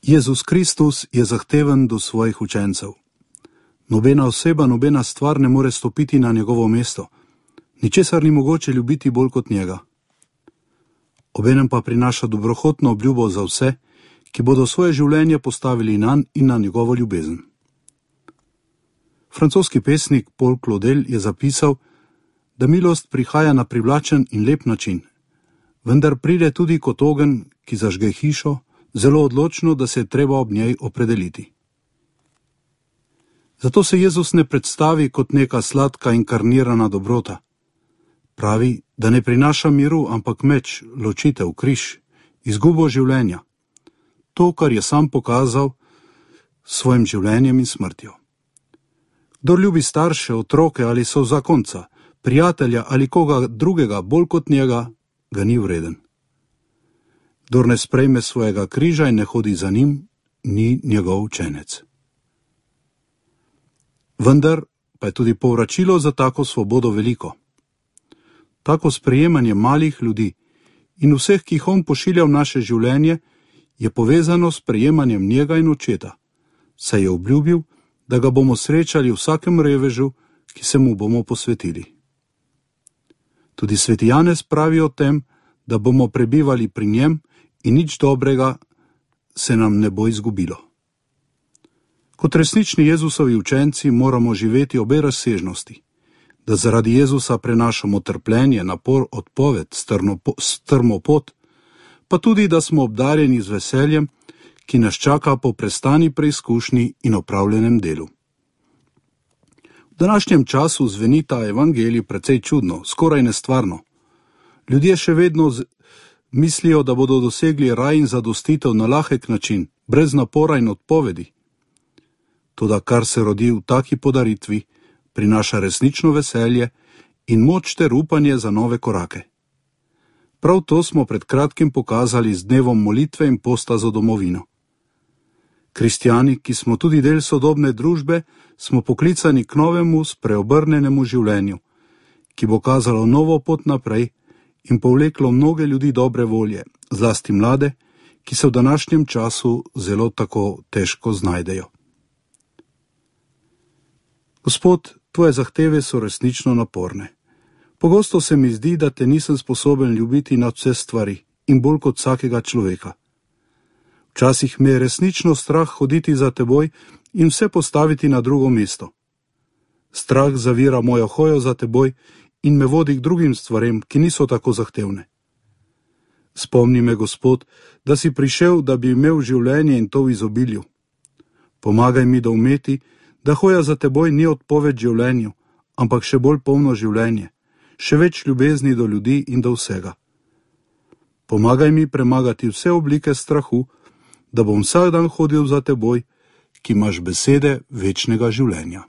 Jezus Kristus je zahteven do svojih učencev. Nobena oseba, nobena stvar ne more stopiti na njegovo mesto. Ničesar ni mogoče ljubiti bolj kot njega. Obenem pa prinaša dobrohotno obljubo za vse, ki bodo svoje življenje postavili nanj in na njegovo ljubezen. Francoski pesnik Paul Claudel je zapisal, da milost prihaja na privlačen in lep način, vendar pride tudi kot ogenj, ki zažge hišo, zelo odločno, da se je treba ob njej opredeliti. Zato se Jezus ne predstavi kot neka sladka inkarnirana dobrota. Pravi, da ne prinaša miru, ampak meč, ločitev, križ, izgubo življenja. To, kar je sam pokazal s svojim življenjem in smrtjo. Kdor ljubi starše, otroke ali sozakonca, prijatelja ali koga drugega bolj kot njega, ga ni vreden. Kdor ne sprejme svojega križa in ne hodi za njim, ni njegov učenec. Vendar pa je tudi povračilo za tako svobodo veliko. Tako sprejemanje malih ljudi in vseh, ki jih on pošilja v naše življenje, je povezano s prejemanjem njega in očeta, saj je obljubil, da ga bomo srečali v vsakem revežu, ki se mu bomo posvetili. Tudi sveti Janez pravi o tem, da bomo prebivali pri njem in nič dobrega se nam ne bo izgubilo. Kot resnični Jezusovi učenci moramo živeti obe razsežnosti, da zaradi Jezusa prenašamo trpljenje, napor, odpoved, strmo pot, pa tudi, da smo obdarjeni z veseljem, ki nas čaka po prestani preizkušnji in opravljenem delu. V današnjem času zveni ta evangelij precej čudno, skoraj nestvarno. Ljudje še vedno mislijo, da bodo dosegli raj in zadostitev na lahek način, brez napora in odpovedi. Toda kar se rodi v taki podaritvi, prinaša resnično veselje in moč ter upanje za nove korake. Prav to smo pred kratkim pokazali z dnevom molitve in posta za domovino. Kristjani, ki smo tudi del sodobne družbe, smo poklicani k novemu, spreobrnenemu življenju, ki bo kazalo novo pot naprej in povleklo mnoge ljudi dobre volje, zlasti mlade, ki se v današnjem času zelo tako težko znajdejo. Gospod, tvoje zahteve so resnično naporne. Pogosto se mi zdi, da te nisem sposoben ljubiti nad vse stvari in bolj kot vsakega človeka. Včasih me je resnično strah hoditi za teboj in vse postaviti na drugo mesto. Strah zavira mojo hojo za teboj in me vodi k drugim stvarem, ki niso tako zahtevne. Spomni me, Gospod, da si prišel, da bi imel življenje in to v izobilju. Pomagaj mi doumeti, da hoja za teboj ni odpoved življenju, ampak še bolj polno življenje, še več ljubezni do ljudi in do vsega. Pomagaj mi premagati vse oblike strahu, da bom vsak dan hodil za teboj, ki imaš besede večnega življenja.